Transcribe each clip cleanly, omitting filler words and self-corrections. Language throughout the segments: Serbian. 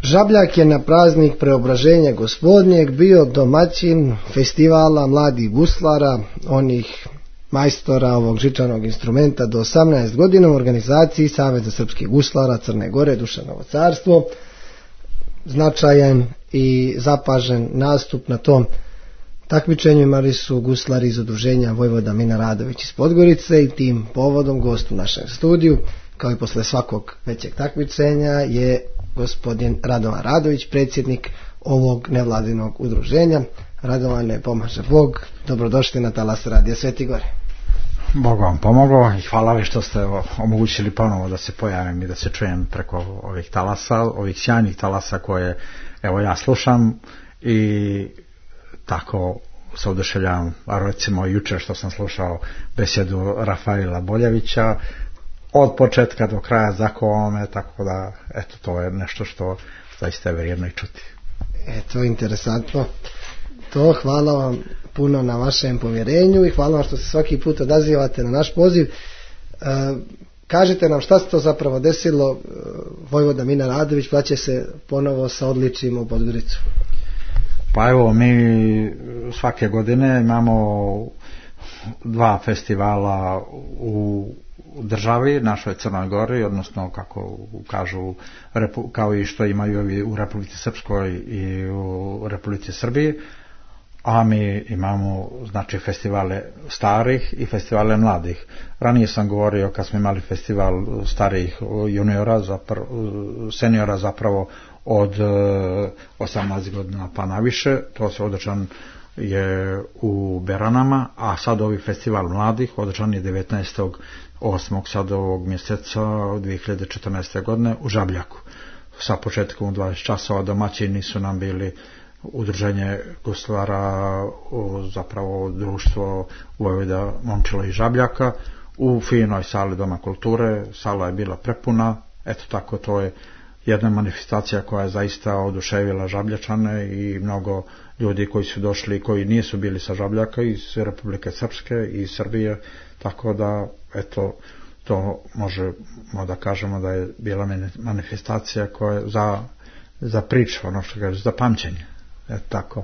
Žabljak je na praznik Preobraženja Gospodnjeg bio domaćin festivala mladih guslara, onih majstora ovog žičanog instrumenta do 18 godina u organizaciji Saveza srpskih guslara Crne Gore, Dušanovo carstvo. Značajan i zapažen nastup na tom takmičenju imali su guslari iz udruženja Vojvoda Mina Radović iz Podgorice i tim povodom gost u našem studiju, kao i posle svakog većeg takmičenja, je gospodin Radovan Radović, predsjednik ovog nevladinog udruženja. Radovane, pomaže Bog, dobrodošli na talas Radija Sveti Gore. Bog vam pomogao i hvala vi što ste omogućili ponovo da se pojavim i da se čujem preko ovih talasa, ovih sjajnih talasa koje evo ja slušam i tako se oduševljavam. Recimo jučer što sam slušao besedu Rafaela Boljevića od početka do kraja zakovome, tako da eto, to je nešto što zaista je vrijedno i čuti. Eto, interesantno. To, hvala vam puno na vašem povjerenju i hvala vam što se svaki put odazivate na naš poziv. Kažite nam šta se to zapravo desilo. Vojvoda Mina Radović plaće se ponovo sa odličjem u Podgoricu. Pa evo, mi svake godine imamo 2 festivala u državi, našoj Crnoj Gori, odnosno kako kažu, kao i što imaju u Republici Srpskoj i u Republici Srbiji, a mi imamo znači festivale starih i festivale mladih. Ranije sam govorio kad smo imali festival starijih juniora, seniora zapravo od 18 godina pa naviše, to se održan je u Beranama, a sad ovi festival mladih održan je 19.8. sad ovog mjeseca 2014. godine u Žabljaku. Sa početkom u 20 časova domaćini su nam bili udruženje guslara, zapravo društvo Vojvoda Momčila i Žabljaka u finoj sali Doma kulture. Sala je bila prepuna, eto tako, to je jedna manifestacija koja je zaista oduševila Žabljačane i mnogo ljudi koji su došli, koji nisu bili sa Žabljaka, iz Republike Srpske i iz Srbije, tako da eto, to možemo da kažemo da je bila manifestacija koja je za priču, ono što kaže, za pamćenje. Eto tako.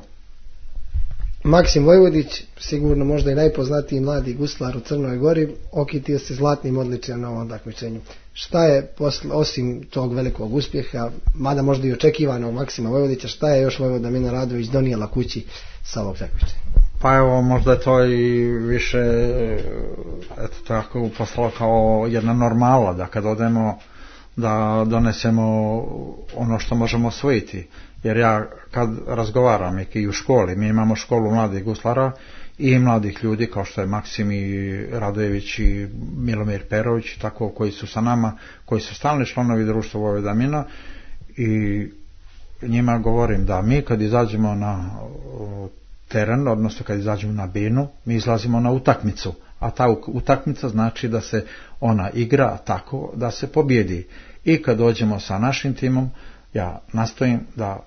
Maksim Vojvodić, sigurno možda i najpoznatiji mladi guslar u Crnoj Gori, okitio se zlatnim odličjem na ovom takmičenju. Šta je, osim tog velikog uspjeha, mada možda i očekivanog Maksima Vojvodića, šta je još Vojvoda Mina Radović donijela kući sa ovog takmičenja? Pa evo, možda je to i više eto tako postalo kao jedna normala, da kad odemo da donesemo ono što možemo osvojiti. Jer ja kad razgovaram i u školi, mi imamo školu mladih guslara i mladih ljudi kao što je Maksim i Radojević i Milomir Perović, tako, koji su sa nama, koji su stalni članovi društva Vojvoda Mina, i njima govorim da mi kad izađemo na teren, odnosno kad izađemo na binu, mi izlazimo na utakmicu, a ta utakmica znači da se ona igra tako da se pobjedi. I kad dođemo sa našim timom, ja nastojim da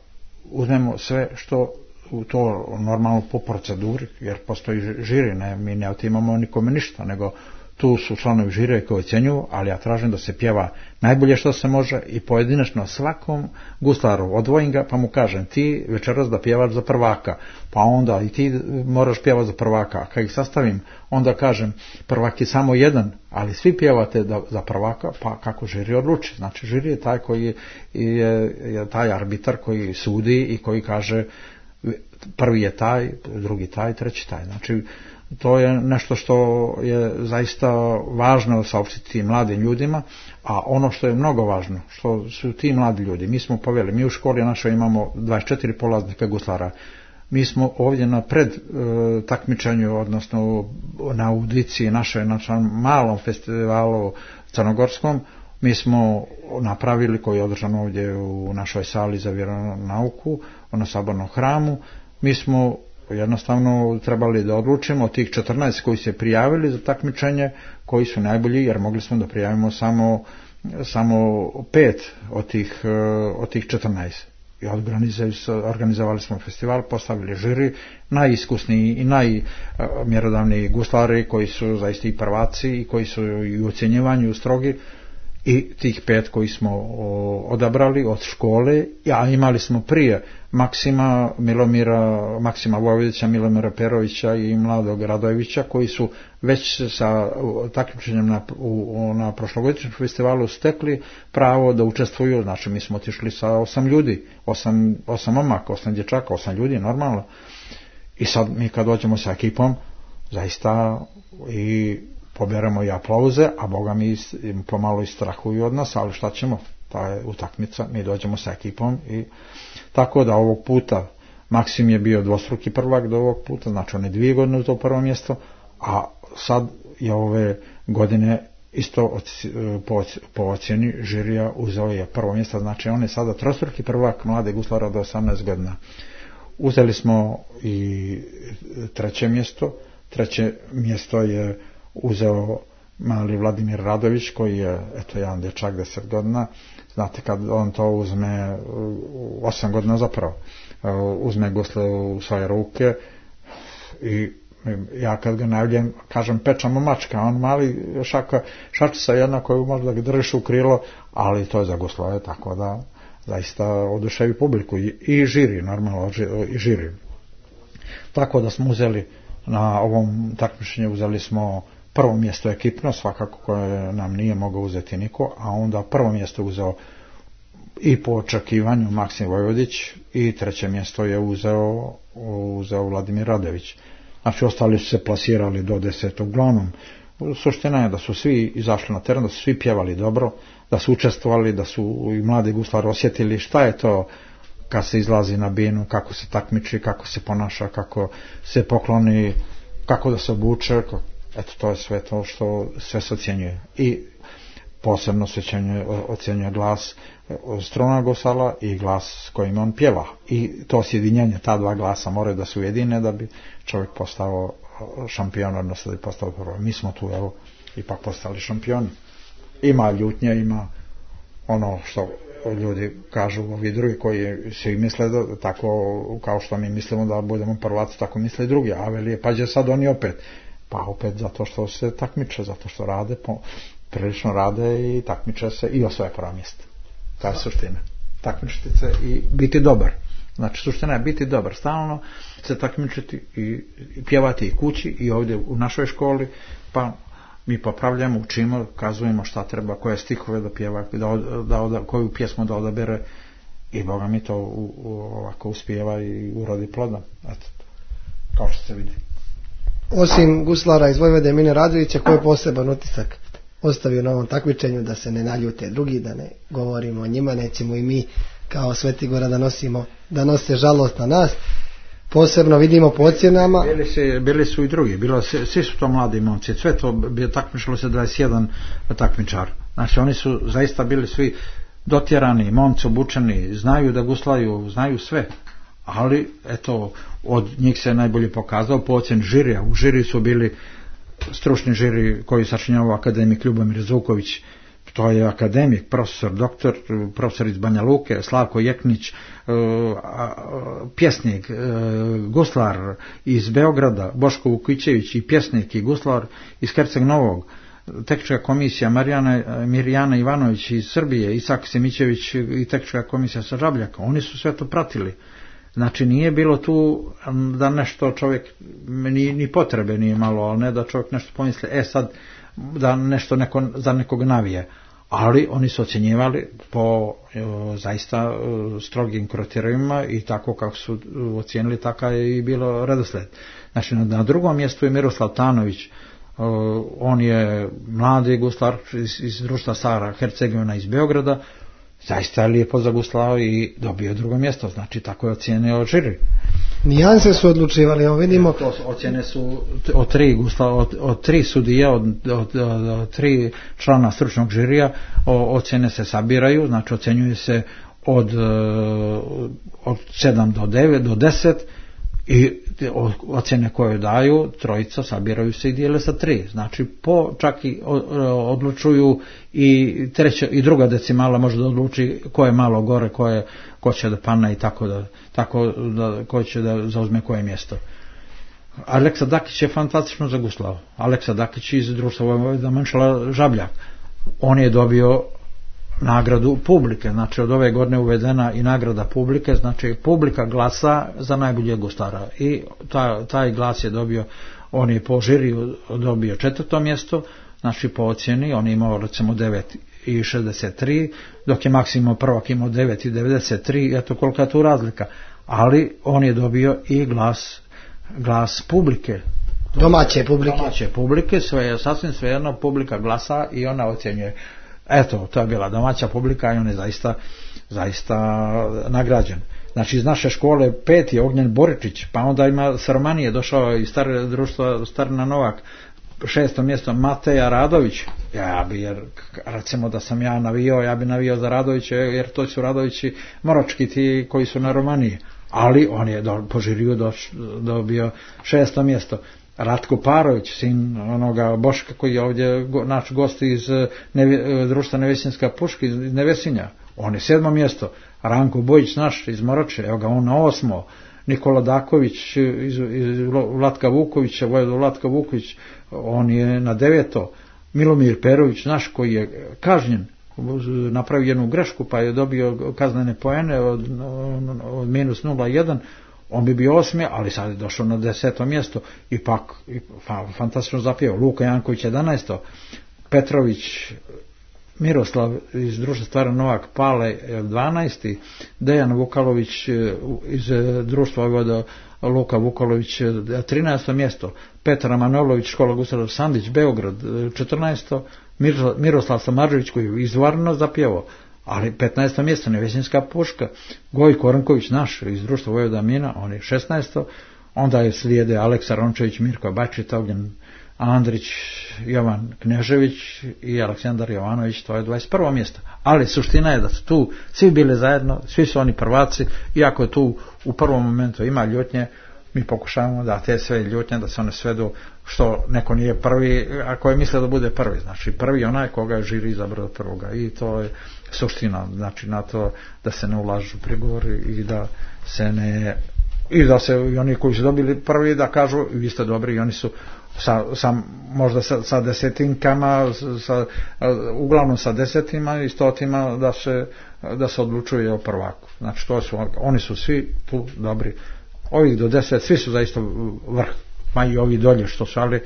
uzmemo sve što u to normalno po proceduri, jer postoji žiri, mi ne otimamo nikome ništa, nego tu su članovi žire koji ocjenjuju, ali ja tražim da se pjeva najbolje što se može i pojedinačno svakom guslaru odvojim ga, pa mu kažem, ti večeras da pjevaš za prvaka, pa onda i ti moraš pjevati za prvaka, a kad ih sastavim, onda kažem, prvak je samo jedan, ali svi pjevate za prvaka, pa kako žiri odluči. Znači žiri je taj koji je taj arbitar koji sudi i koji kaže prvi je taj, drugi taj, treći taj. Znači to je nešto što je zaista važno saopštiti mladim ljudima, a ono što je mnogo važno, što su ti mladi ljudi, mi smo poveli, mi u školi našoj imamo 24 polaznika guslara, mi smo ovdje na pred takmičenju, odnosno na audiciji našoj, na malom festivalu crnogorskom, mi smo napravili, koji je održan ovdje u našoj sali za vjeronauku, na Sabornom hramu, mi smo jednostavno trebali da odlučimo od tih 14 koji se prijavili za takmičenje, koji su najbolji, jer mogli smo da prijavimo samo 5 od tih 14. I organizovali smo festival, postavili žiri, najiskusniji i najmjerodavniji guslari koji su zaista i prvaci i koji su i u ocjenjivanju strogi, i tih 5 koji smo odabrali od škole, a imali smo prije Maksima Vojvodića, Milomira Perovića i Mladog Radojevića, koji su već sa takmičenjem na prošlogodišnjem festivalu stekli pravo da učestvuju. Znači mi smo otišli sa 8 ljudi, 8 momaka, 8 dječaka, 8 ljudi normalno, i sad mi kad dođemo sa ekipom zaista i poberemo i aplauze, a boga mi pomalo i strahuju od nas, ali šta ćemo, ta je utakmica, mi dođemo sa ekipom. I tako da ovog puta Maksim je bio dvostruki prvak do ovog puta, znači on je 2 godine uzeo prvo mjesto, a sad je ove godine isto po ocjeni žirija uzeo je prvo mjesto, znači on je sada trostruki prvak mlade guslara do 18 godina. Uzeli smo i 3. mjesto. 3. mjesto je uzeo mali Vladimir Radović, koji je jedan dječak 10 godina. Znate, kad on to uzme 8 godina zapravo, uzme gusle u svoje ruke i ja kad ga najavljem kažem pečamo mačka, on mali šačica jedna koju možda ga držiš u krilo, ali to je za guslove, tako da zaista oduševi publiku i žiri, normalno i žiri. Tako da smo uzeli na ovom takmičenju, uzeli smo prvo mjesto ekipno, svakako koje nam nije mogao uzeti niko, a onda prvo mjesto uzeo i po očekivanju Maksim Vojvodić i 3. mjesto je uzeo Vladimir Radojević. Znači ostali su se plasirali do 10. Uglavnom, suština je da su svi izašli na teren, da su svi pjevali dobro, da su učestvovali, da su i mladi guslari osjetili šta je to kad se izlazi na binu, kako se takmiči, kako se ponaša, kako se pokloni, kako da se obuče, eto to je sve to što sve se ocjenjuje. I posebno se ocjenjuje glas struna gusala i glas s kojim on pjeva. I to sjedinjenje, ta 2 glasa moraju da se ujedine da bi čovjek postao šampion, odnosno da bi postao prvo. Mi smo tu ipak postali šampioni. Ima ljutnje, ima ono što ljudi kažu, ovi drugi koji svi misle da, tako kao što mi mislimo da budemo prvaci, tako misle i drugi, a veli pa će sad oni opet, pa opet zato što se takmiče, zato što rade, prilično rade i takmiče se i osvoje prvo mjesto. To je suština, takmičiti se i biti dobar. Znači suština je biti dobar, stalno se takmičiti i pjevati i kući i ovdje u našoj školi, pa mi popravljamo, učimo, kazujemo šta treba, koje stihove da pjeva, koju pjesmu da odabere, i boga mi to ovako uspijeva i urodi plodom. Eto, kao što se vidi. Osim guslara iz Vojvode Mine Radovića, koji je poseban utisak ostavio na ovom takmičenju, da se ne naljute drugi, da ne govorimo o njima, nećemo i mi kao Svetigora da nose žalost na nas. Posebno vidimo po ocjenama. Bili su i drugi, svi su to mladi momci, sve to takmičilo se 21 takmičar. Znači oni su zaista bili svi dotjerani, momci obučeni, znaju da guslaju, znaju sve. Ali eto, od njih se najbolje pokazao po ocjeni žirija. U žiri su bili stručni žiri koji sačinjava akademik Ljubomir Zuković, to je akademik, profesor iz Banja Luke, Slavko Jeknić, pjesnik, guslar iz Beograda, Boško Vukićević, i pjesnik i guslar iz Herceg Novog, tehnička komisija Mirjana Ivanović iz Srbije, Isak Simićević i tehnička komisija sa Žabljaka, oni su sve to pratili. Znači nije bilo tu da nešto čovjek, ni potrebe nije malo, ali ne da čovjek nešto pomisli, sad da nešto za nekog navije. Ali oni su ocjenjivali po zaista strogim kriterijima i tako kako su ocijenili, tako je i bilo redosled. Znači na drugom mjestu je Miroslav Tanović, on je mladi guslar iz društva Sara Hercegovina iz Beograda, zaista je lijepo zaguslao i dobio drugo mjesto, znači tako je ocijenio žiri. Nijanse su odlučivali, evo vidimo. Ocjene su od 3 sudija, od 3 člana stručnog žirija, ocjene se sabiraju, znači ocjenjuje se od 7 do 9 do 10 i ocjene koje daju trojica sabiraju se i dijele sa 3, znači čak i odlučuju i treća i druga decimala može da odluči ko je malo gore, ko će da padne i tako da ko će da zauzme koje mjesto. Aleksa Dakić je fantastično zaguslao. Aleksa Dakić iz društva Vojvoda Mančala Žabljak. on je dobio nagradu publike, znači od ove godine uvedena i nagrada publike, znači publika glasa za najboljeg gustara i taj glas je dobio, on je po žiriju dobio 4. mjesto, znači po ocjeni, on je imao recimo 9,63, dok je Maksim prvak imao 9,93, eto kolika je tu razlika, ali on je dobio i glas publike. Domaće publike, sve je sasvim svejedno, publika glasa i ona ocjenjuje. Eto, to je bila domaća publika i on je zaista nagrađen. Znači iz naše škole 5. je Ognjen Boričić, pa onda ima s Romanije došao i društvo Starina Novak, 6. mjesto Mateja Radović. Ja bi, jer recimo da sam ja navio, ja bi navio za Radovića, jer to su Radovići Moročki ti koji su na Romaniji. Ali on je po žiriju dobio 6. mjesto. Ratko Parović, sin onoga Boška koji je ovdje naš gost iz društva Nevesinska puška iz Nevesinja, on je 7. mjesto. Ranko Bojić naš iz Moroče, evo ga on na 8. Nikola Daković iz Vlatka Vukovića, Vojvoda Vlatka Vuković, on je na 9. Milomir Perović naš koji je kažnjen, napravio jednu grešku pa je dobio kaznene poene od -0,1, on bi bio 8. ali sad je došao na 10. mjesto i pak fantastično zapjevao. Luka Janković 11. Petrović Miroslav iz društva Stvaran Novak Pale 12. Dejan Vukalović iz društva Vojvoda Luka Vukalović 13. mjesto. Petar Manolović škola Gustav Sandić Beograd 14. Miroslav Samarđević koji je izvarno zapjevao, ali 15. mjesto Nevesinska puška. Gojko Ranković naš iz društva Vojvoda Mina, on je 16. Onda je slijede Aleksa Rončević, Mirko Bačita, Ognjen Andrić, Jovan Knežević i Aleksandar Jovanović, to je 21. mjesto. Ali suština je da su tu svi bili zajedno, svi su oni prvaci, iako je tu u prvom momentu ima ljutnje, mi pokušavamo da te sve ljutnje, da se one svedu što neko nije prvi, ako je mislio da bude prvi. Znači prvi onaj koga je žiri izabrao prvoga i to je suština, znači na to da se ne ulažu prigovori i da se ne, i da se i oni koji su dobili prvi da kažu vi ste dobri i oni su možda sa desetinkama, uglavnom sa desetima i stotima da se odlučuje o prvaku. Znači oni su svi tu dobri. Ovih do 10, svi su zaista vrh, ma i ovi dolje što su, ali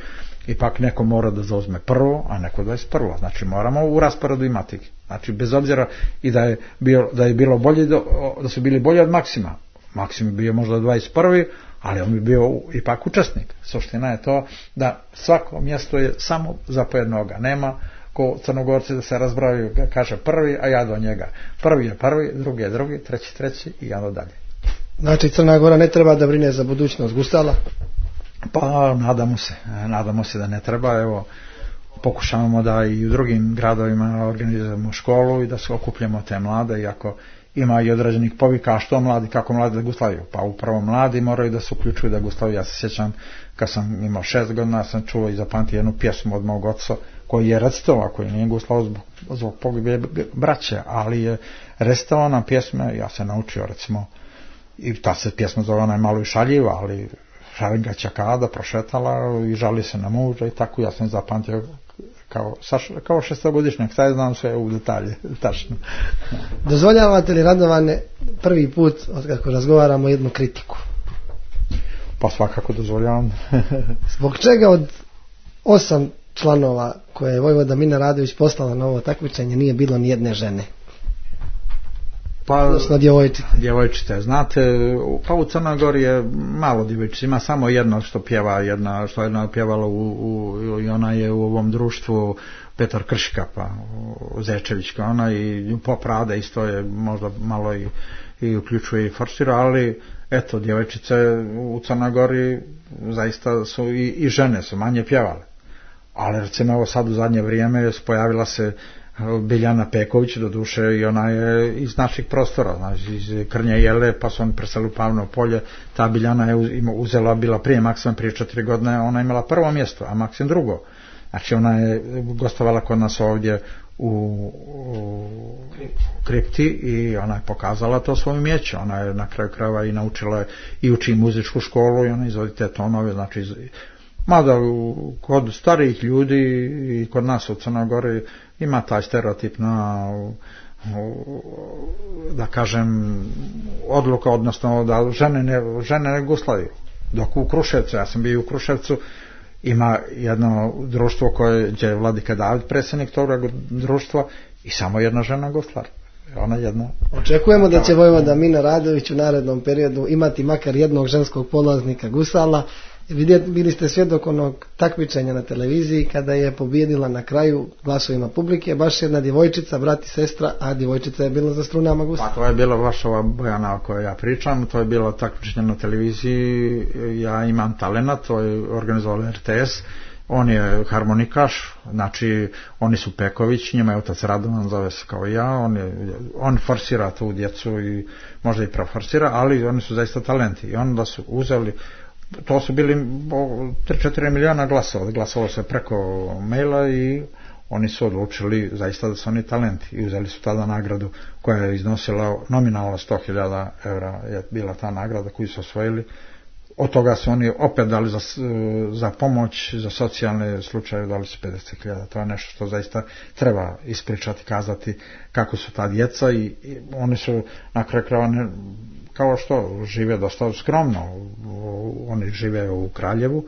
ipak neko mora da zauzme prvo, a neko 21. Znači moramo u rasporedu imati. Znači bez obzira i da je bilo bolje, da su bili bolji od Maksima. Maksim je bio možda 21. ali on bi bio ipak učesnik. Suština je to da svako mjesto je samo za po jednoga. Nema ko Crnogorci da se razbraju, kaže prvi, a ja do njega. Prvi je prvi, drugi je drugi, treći i onda dalje. Znači Crna Gora ne treba da brine za budućnost gustala? Pa nadamo se da ne treba. Evo, pokušavamo da i u drugim gradovima organizujemo školu i da se okupljamo te mlade, iako ima i određenih povika, a što mladi, kako mladi da guslavaju? Pa upravo mladi moraju da se uključuju da guslavaju. Ja se sjećam kad sam imao 6 godina, sam čuo i zapamtio jednu pjesmu od mog oca koji je recitovao, koji nije guslavao zbog pogibije braće, ali je recitovao nam pjesme, ja se naučio recimo, i ta se pjesma zove, ona je malo i šaljiva, ali Šarenga Čakada prošetala i žali se na muža i tako, ja sam zapamtio kao 6-godišnjak, sad znam sve u detalje, tačno. Dozvoljavate li, Radovane, prvi put od kako razgovaramo jednu kritiku? Pa svakako dozvoljavam. Zbog čega od 8 članova koje je Vojvoda Mina Radović poslala na ovo takmičenje nije bilo ni jedne žene? Pa, djevojčice. Znate, pa u Crnoj Gori je malo djevojčica, ima samo jedna što pjeva, što je pjevala i ona je u ovom društvu Petar Kršika, pa Zečevićka, ona i Pop Rade isto je možda malo i uključuje i forsira, ali eto, djevojčice u Crnoj Gori zaista su i žene su manje pjevale. Ali recimo evo sad u zadnje vrijeme pojavila se Biljana Peković, do duše i ona je iz naših prostora, znači iz Krnje Jele, pa su oni preseli u Pavno polje. Ta Biljana je uzela, bila prije Maksima, prije 4 godine, ona je imala prvo mjesto, a Maksim drugo. Znači ona je gostovala kod nas ovdje u kripti i ona je pokazala to svoje umijeće. Ona je na kraju krajeva i naučila i uči muzičku školu i ona izvodi te tonove, znači Mada kod starijih ljudi i kod nas u Crnoj Gori ima taj stereotip na, da kažem, odluka, odnosno da žene ne guslaju. Dok u Kruševcu, ja sam bio u Kruševcu, ima jedno društvo koje je Vladika David, predsjednik toga društva, i samo jedna žena guslar. Ona jedna. Očekujemo da će vojvoda Mino Radović u narednom periodu imati makar jednog ženskog polaznika gusala. Bili ste svjedok onog takmičenja na televiziji kada je pobijedila na kraju glasovima publike baš jedna djevojčica, brat i sestra, a djevojčica je bila za strunama gusla. Pa to je bila baš ova Bojana o kojoj ja pričam, to je bilo takmičenje na televiziji. Ja imam talenat, to je organizovao RTS, on je harmonikaš, znači oni su Peković, njima je otac Radovan, zove se kao ja, on forsira tu djecu i možda i preforsira, ali oni su zaista talenti i onda su uzeli. To su bili 3-4 miliona glasova, glasovalo se preko maila i oni su odlučili zaista da su oni talenti i uzeli su tada nagradu koja je iznosila nominalno 100.000 evra je bila ta nagrada koju su osvojili. Od toga su oni opet dali za pomoć, za socijalne slučaje dali su 50.000. To je nešto što zaista treba ispričati, kazati kako su ta djeca i oni su na kraju krajeva kao što žive dosta skromno. Oni žive u Kraljevu,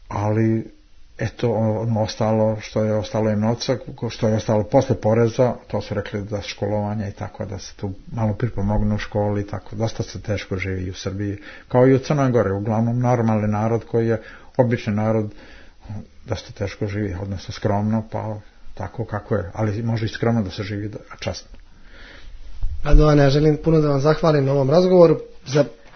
ali eto ono ostalo što je ostalo im novca, što je ostalo posle poreza, to su rekli da školovanje i tako, da se tu malo pripomognu u školi i tako. Dosta se teško živi i u Srbiji, kao i u Crnoj Gori, uglavnom normalni narod koji je obični narod, dosta teško živi, odnosno skromno, pa tako kako je, ali može i skromno da se živi časno. Radovane, ja želim puno da vam zahvalim na ovom razgovoru.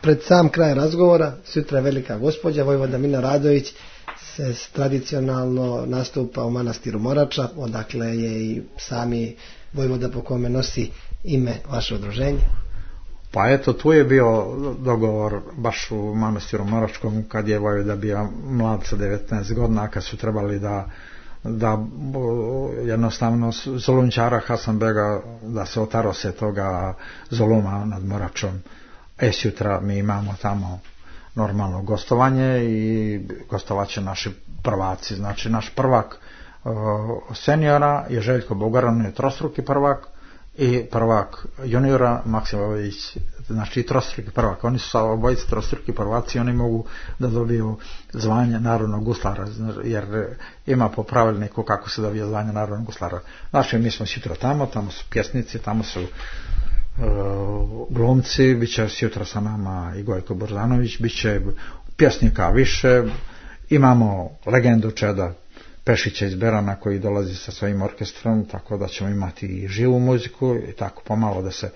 Pred sam kraj razgovora, sutra je velika gospođa, vojvoda Mino Radović se tradicionalno nastupa u manastiru Morača, odakle je i sami vojvoda po kome nosi ime vaše udruženje. Pa eto, tu je bio dogovor baš u manastiru Moračkom kad je vojvoda bio mlad sa 19 godina, kad su trebali da jednostavno zulumčara Hasanbega da se otarose toga zuluma nad Moračom. Sutra mi imamo tamo normalno gostovanje i gostovaće naši prvaci. Znači naš prvak seniora je Željko Bugar, on je trostruki prvak, i prvak juniora Maksimović, znači trostruki prvak. Oni su obojice trostruki prvaci, oni mogu da dobiju zvanje narodnog guslara, jer ima po pravilniku kako se dobije zvanje narodnog guslara. Znači mi smo sutra tamo su pjesnici, tamo su glumci, bit će sutra sa nama i Gojko Borzanović, bit će pjesnika više, imamo legendu Čeda Pešića iz Berana koji dolazi sa svojim orkestrom, tako da ćemo imati i živu muziku i tako pomalo da se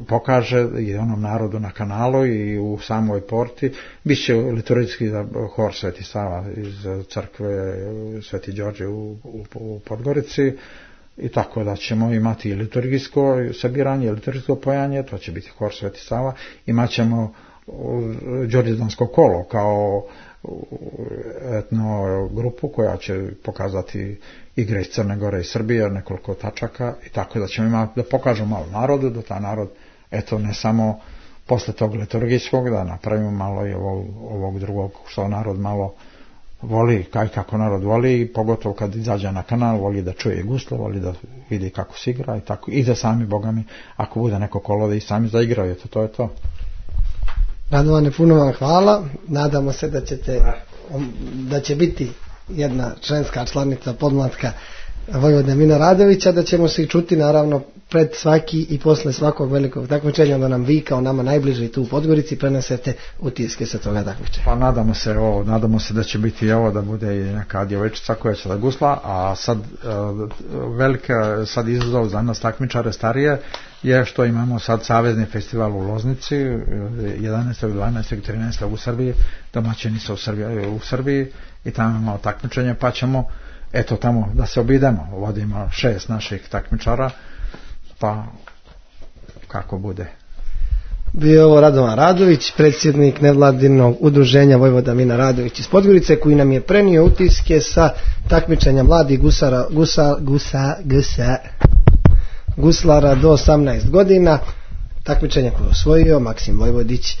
pokaže i onom narodu na kanalu i u samoj porti. Biće liturgijski hor Sveti Sava iz crkve Sveti Đorđe u Podgorici, i tako da ćemo imati i liturgijsko sabiranje, liturgijsko pojanje, to će biti hor Sveti Sava. Imat ćemo Đorđedansko kolo kao etno grupu koja će pokazati igre iz Crne Gore i Srbije, nekoliko tačaka, i tako da ćemo imati, da pokažemo malo narodu, da ta narod, eto, ne samo posle tog liturgijskog, da napravimo malo i ovog drugog, što narod malo voli, kako narod voli, i pogotovo kad izađe na kanal, voli da čuje guslo, voli da vidi kako se igra i tako, i da sami, bogami, ako bude neko kolo, da i sami zaigraju, to je to. Radovane, puno vam hvala. Nadamo se da će biti jedna členska članica podmlatka vojvode Mino Radovića, da ćemo se i čuti naravno pred svaki i posle svakog velikog takmičenja, da nam vi kao nama najbliži tu u Podgorici prenesete utiske sa toga takmičenja. Pa nadamo se da će biti ovo, da bude i neka djevojčica koja će da gusla, a sad velika izazov za nas takmičare starije je što imamo sad savezni festival u Loznici 11. 12. 13. u Srbiji, domaćini su u Srbiji i tamo imamo takmičenje, pa ćemo eto tamo da se obidemo, vodimo 6 naših takmičara, pa kako bude. Bio ovo Radovan Radović, predsjednik nevladinog udruženja Vojvoda Mino Radović iz Podgorice, koji nam je prenio utiske sa takmičenja mladih guslara do 18 godina, takmičenje koje je osvojio Maksim Vojvodić.